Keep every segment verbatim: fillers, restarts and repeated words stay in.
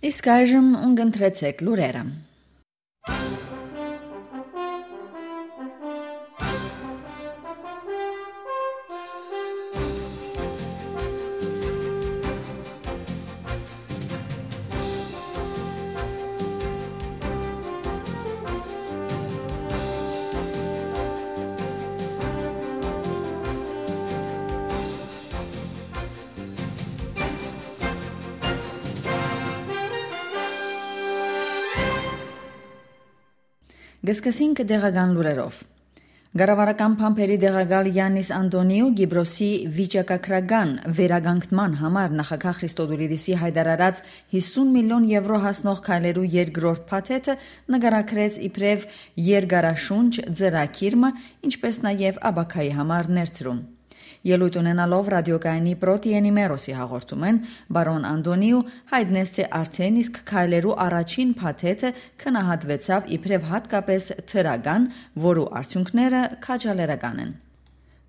Իսկ այժմ ուն կընտրեցեք լուրերը։ Կը սկսենք տեղական լուրերով։ Կառավարական փամփերի տեղակալ Յաննիս Անտոնիու Կիպրոսի վիճակագրական վերականգնման համար նախագահ Խրիստոդուլիդիսի հայտարարած հիսուն միլիոն եվրո հասնող քայլերու երկրորդ փաթեթը նկարագրեց իբրեւ երկարաշունչ ծրագիր մը, ինչպէս նաեւ ապագայի համար ներդրում։ Ելոյթ ունենալով ռադիոկայանի Պրոտիենի Մերոսի հաղորդումէն, բարոն Անտոնիու հայտնեց, թէ արդէն իսկ քայլերու առաջին փաթեթը գնահատուեցաւ իբրեւ յատկապէս դրական, որու արդիւնքները քաջալերական են։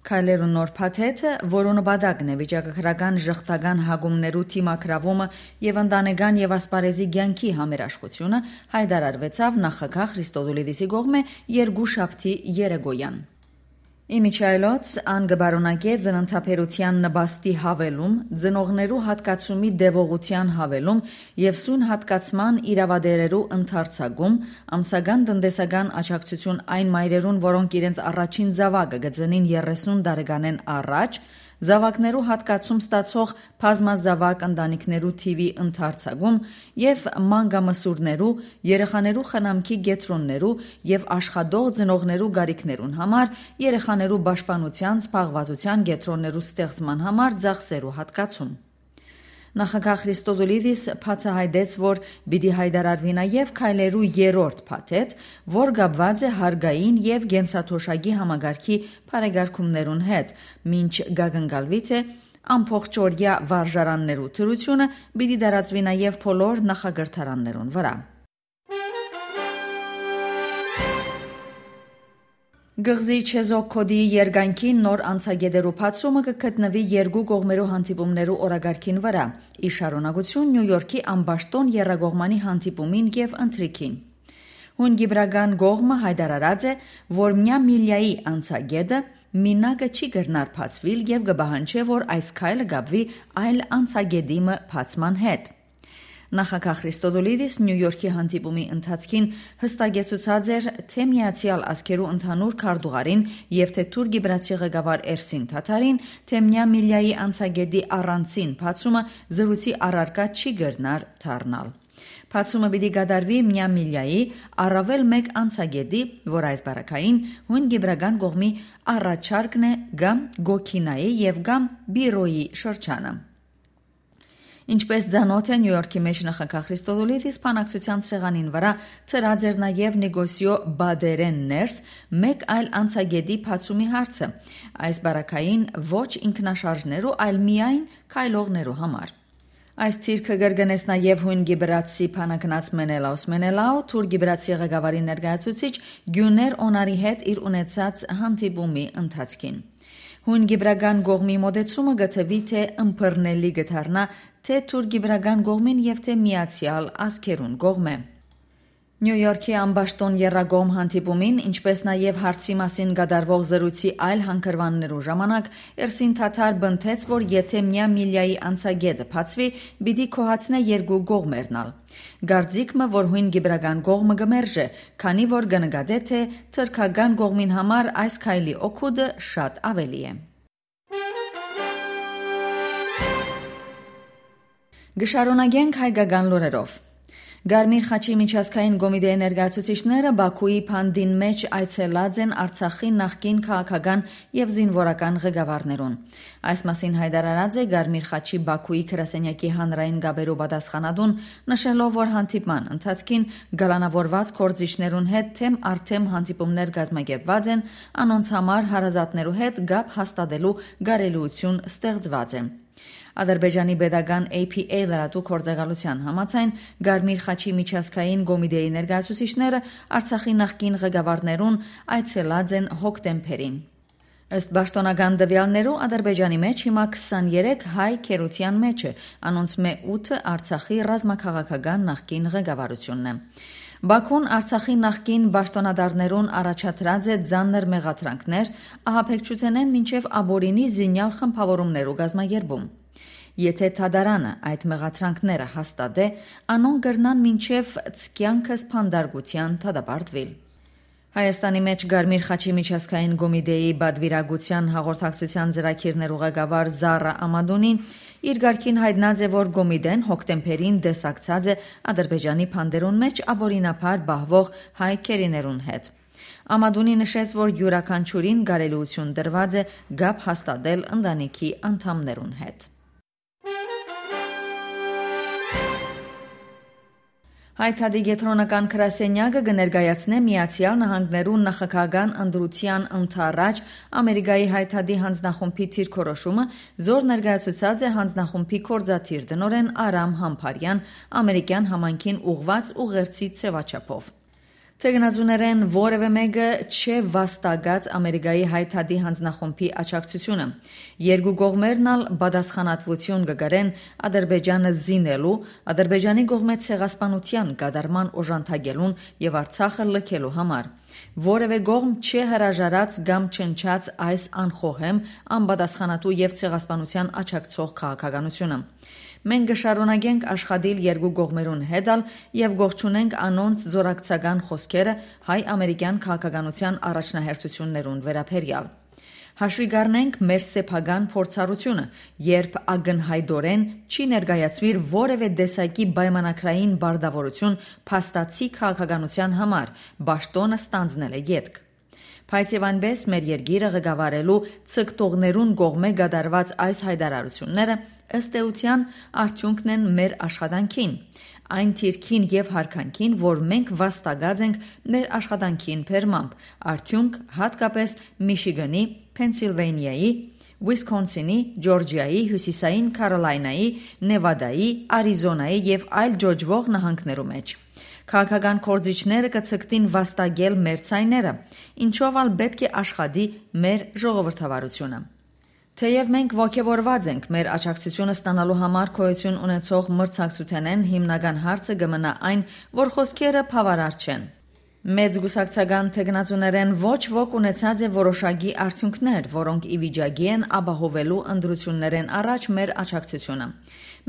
Քայլերու նոր փաթեթը, որու նպատակն է վիճակագրական ժխտական հակումներու դիմագրաւումը եւ ընտանեկան եւ ասպարէզի կեանքի համերաշխութիւնը, հայտարարուեցաւ նախագահ Խրիստոդուլիդիսի կողմէ երկուշաբթի երեկոյեան։ Ի միջի այլոց, ան կը պարունակէ ծննդաբերութեան նպաստի յաւելում, ծնողներու յատկացումի տեւողութեան յաւելում եւ սոյն յատկացման իրաւատէրերու ընդարձակում, ամսական տնտեսական աջակցութիւն այն մայրերուն, որոնք իրենց առաջին զաւակը կը ծնին երեսուն տարեկանէն առաջ, զաւակներու յատկացում ստացող բազմազաւակ ընտանիքներու թիւի ընդարձակում եւ մանկամսուրներու, երեխաներու խնամքի կեդրոններու եւ աշխատող ծնողներու կարիքներուն համար երեխաներու պաշտպանութեան զբաղվածութեան կեդրոններու ստեղծման համար ծախսերու յատկացում։ Նախագահ Խրիստոդուլիդիս բացայայտեց, որ պիտի հայտարարուի նաեւ քայլերու երրորդ փաթեթ, որ կապուած է հարկային եւ կենսաթոշակի համակարգի բարեկարգումներուն հետ, մինչ կակնկալուի, թէ ամբողջօրեայ վարժարաններու դրութիւնը պիտի տարածուի նաեւ բոլոր նախակրթարաններուն վրայ։ Կղզի Չեզոք Քոդիի երկայնքին նոր անցակետերու բացումը կը գտնուի երկու կողմերու հանդիպումներու օրակարգին վրայ, ի շարունակութիւն Նիու Յորքի ամբաշտոն եռակողմանի հանդիպումին եւ ընթրիքին։ Հոն կիպրական կողմը հայտարարած է, որ միամիլիայի անցակետը մինակը չի կրնար բացուիլ եւ կը պահանջէ, որ այս քայլը կապուի այլ անցակետի մը բացման հետ։ Նախագահ Խրիստոդուլիդիս Նիու Յորքի հանդիպումի ընթացքին յստակեցուցած էր, թէ Միացեալ Ազգերու ընդհանուր քարտուղարին եւ թէ թուրք-կիպրացի ղեկավար Էրսին Թաթարին, թէ միամիլիայի անցակետի առանցին բացումը զրույցի առարկայ չի կրնար դառնալ։ Բացումը պիտի կատարուի միամիլիայի առաւել մէկ անցակետի, որ այս բարակային հոն կիպրական կողմի առաջարկն է կամ Կոքինայի եւ կամ Բիրոյի շրջանը։ Ինչպէս ծանօթ է, Նիու Յորքի մէջ նախագահ Խրիստոդուլիդիս բանակցութեան սեղանին վրայ դրած էր նաեւ Նիկոսիո Բատերէն ներս մէկ այլ անցակետի բացումի հարցը, այս բարակային ոչ ինքնաշարժներու, այլ միայն քայլողներու համար։ Այս դիրքը կրկնեց նաեւ հոն կիպրացի բանակնաց Մենելաուս Մենելաու, թուրք-կիպրացի ղեկավարի ներկայացուցիչ Գիւներ Օնարի հետ իր ունեցած հանդիպումի ընթացքին։ Հոն կիպրական կողմի մօտեցումը կը թուի, թէ ըմբռնելի կը դառնայ թէ թուրք-կիպրական կողմին եւ թէ Միացեալ Ազգերուն կողմէ։ Նիու Յորքի ամբաշտոն եռակողմ հանդիպումին, ինչպէս նաեւ հարցի մասին կատարուող զրույցի այլ հանգրուաններու ժամանակ, Էրսին Թաթար պնդեց, որ եթէ միամիլիայի անցակետը բացուի, պիտի գոհացնէ երկու կողմերն ալ։ Կարծիք մը, որ հոն կիպրական կողմը կը մերժէ, քանի որ կը նկատէ, թէ թրքական կողմին համար այս քայլի օգուտը շատ աւելի է։ Կը շարունակենք հայկական լուրերով։ Կարմիր խաչի միջազգային կոմիտեի ներկայացուցիչները Բաքուի Փանդին մէջ այցելած են Արցախի նախկին քաղաքական եւ զինուորական ղեկավարներուն։ Այս մասին հայտարարած է Կարմիր խաչի Բաքուի գրասենյակի հանրային կապերու պատասխանատուն, նշելով, որ հանդիպման ընթացքին կալանաւորուած գործիչներուն հետ թեմ առ թեմ հանդիպումներ կազմակերպուած են, անոնց համար հարազատներու հետ կապ հաստատելու կարելիութիւն ստեղծուած է։ Ադրբեջանի պետական A P A լրատու գործակալության համաձայն, Կարմիր խաչի միջազգային կոմիտեի ներկայացուցիչները Արցախի նախկին ղեկավարներուն այցելած են հոկտեմբերին։ Ըստ պաշտօնական տուեալներու, Ադրբեջանի մէջ հիմա քսաներեք հայ գերության մէջ է, անոնցմէ ութը Արցախի ռազմաքաղաքական նախկին ղեկավարութիւնն է։ Բաքուն Արցախի նախկին պաշտօնատարներուն առաջադրած է ծանր մեղադրանքներ, ահաբեկչութենէն մինչեւ ապօրինի զինեալ խմբաւորումներու կազմակերպում։ Եթէ դատարանը այդ մեղադրանքները հաստատէ, անոնք կրնան մինչեւ ցկեանքս փանդարկութեան դատապարտուիլ։ Հայաստանի մէջ Կարմիր խաչի միջազգային կոմիտէի պատվիրակութեան հաղորդակցութեան ծրագիրներու ղեկավար Զառա Ամատունի իր կարգին յայտնած է, որ կոմիտէն հոկտեմբերին տեսակցած է Ադրբեջանի բանտերուն մէջ ապօրինաբար պահուող հայ գերիներուն հետ։ Ամատունի նշեց, որ իւրաքանչիւրին կարելիութիւն տրուած է կապ հաստատել ընտանիքի անդամներուն հետ։ Հայ Դատի կեդրոնական գրասենյակը կը ներկայացնէ Միացեալ Նահանգներու նախագահական ընտրութեան ընդառաջ Ամերիկայի Հայ Դատի յանձնախումբի դիրքորոշումը, զոր ներկայացուցած է յանձնախումբի գործադիր տնօրէն Արամ Համբարեան, ամերիկեան համայնքին ուղղուած ուղերձի ձեւաչափով։ Թեկնածուներէն որեւէ մէկը չէ վաստակած Ամերիկայի Հայ Դատի յանձնախումբի աջակցութիւնը։ Երկու կողմերն ալ պատասխանատուութիւն կը կրեն Ադրբեջանը զինելու, Ադրբեջանի կողմէ ցեղասպանութեան կատարման օժանդակելուն եւ Արցախը լքելու համար։ Որեւէ կողմ չէ հրաժարած կամ չնչած այս անխոհեմ, անպատասխանատու եւ ցեղասպանութեան աջակցող քաղաքականութիւնը։ Մենք կը շարունակենք աշխատիլ երկու կողմերուն հետ ալ եւ կողջունենք անոնց զօրակցական խօսքերը հայ-ամերիկեան քաղաքականութեան առաջնահերթութիւններուն վերաբերեալ։ Հաշուի կ'առնենք մեր սեփական փորձառութիւնը, երբ ակնյայտօրէն չի ներկայացուիր որեւէ տեսակի պայմանագրային պարտաւորութիւն փաստացի քաղաքականութեան համար, պաշտօնը ստանձնելէ ետք։ Բայց եւ այնպէս մեր երկիրը ղեկավարելու ձգտողներուն կողմէ կատարուած այս յայտարարութիւնները, ըստ էութեան, արդիւնքն են մեր աշխատանքին, այն դիրքին եւ յարգանքին, որ մենք վաստակած ենք մեր աշխատանքին բերմամբ, արդիւնք՝ յատկապէս Միշիգանի, Փենսիլվանիայի, Ուիսքոնսինի, Ջորջիայի, Հիւսիսային Քարոլայնայի, Նեվադայի, Արիզոնայի եւ այլ ջոջուող նահանգներու մէջ։ Քաղաքական գործիչները կը ձգտին վաստակել մեր ձայները, ինչով ալ պէտք է աշխատի մեր ժողովրդավարութիւնը։ Թէեւ մենք ոգեւորուած ենք մեր աջակցութիւնը ստանալու համար գոյութիւն ունեցող մրցակցութենէն, հիմնական հարցը կը մնայ այն, որ խօսքերը բաւարար չեն։ Մեծ կուսակցական թեկնածուներէն ոչ ոք ունեցած է որոշակի արդիւնքներ, որոնք ի վիճակի են ապահովելու ընտրութիւններէն առաջ մեր աջակցութիւնը։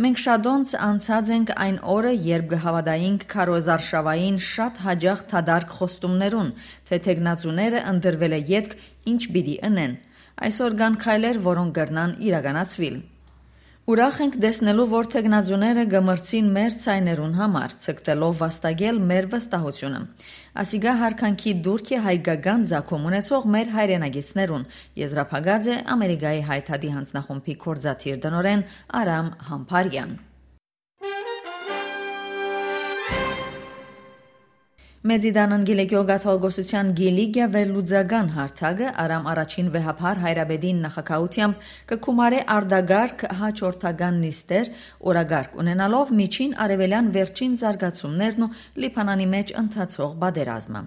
Մենք շատոնց անցած ենք այն օրը, երբ կը հաւատայինք քարոզարշաւային շատ յաճախ դատարկ խոստումներուն, թէ թեկնածուները ընտրուելէ ետք ինչ պիտի ընեն։ Այսօր կան քայլեր, որոնք կրնան իրականացուիլ։ Ուրախ ենք տեսնելու, որ թեկնածուները կը մրցին մեր ձայներուն համար, ձգտելով վաստակել մեր վստահութիւնը։ Ասիկա յարգանքի տուրք է հայկական ծագում ունեցող մեր հայրենակիցներուն, եզրափակած է Ամերիկայի Հայ Դատի յանձնախումբի գործադիր տնօրէն Արամ Համբարեան։ Մեծի Տանն Կիլիկիոյ կաթողիկոսութեան Կիլիկիա վերլուծական հարթակը Արամ Առաջին վեհափառ հայրապետին նախագահութեամբ կը գումարէ արտակարգ հաջորդական նիստեր, օրակարգ ունենալով Միջին Արեւելեան վերջին զարգացումներն ու Լիբանանի մէջ ընթացող պատերազմը։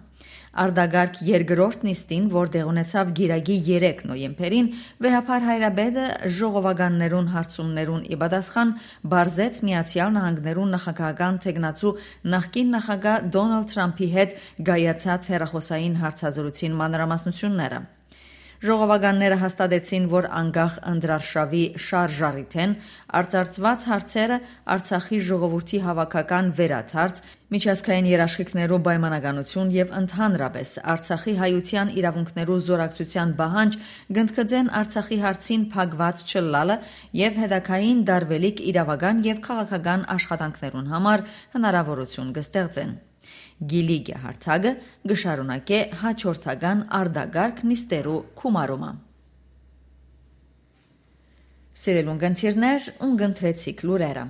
Արտակարգ երկրորդ նիստին, որ տեղ ունեցաւ կիրակի երեք նոյեմբերին, վեհափառ հայրապետը ժողովականներուն հարցումներուն ի պատասխան բարձեց Միացեալ Նահանգներու նախագահական թեկնածու նախկին նախագահ Դոնալդ Թրամփի հետ կայացած հեռախօսային հարցազրույցին մանրամասնութիւնները։ Ժողովականները հաստատեցին, որ անկախ ընտրարշաւի շարժառիթէն արծարծուած հարցերը, Արցախի ժողովուրդի հաւաքական վերադարձ, միջազգային երաշխիքներու պայմանականութիւն եւ ընդհանրապէս Արցախի հայութեան իրաւունքներու զօրակցութեան պահանջ կ'ընդգծեն Արցախի հարցին փակուած չըլլալը եւ հետագային տարուելիք իրաւական եւ քաղաքական աշխատանքներուն համար հնարաւորութիւն կը ստեղծեն։ Կիլիկիա հարթակը կը շարունակէ հաջորդական արտակարգ նիստերու գումարումը։ Սիրելի ունգընտիրներ, ունգընտրեցիք լուրերը։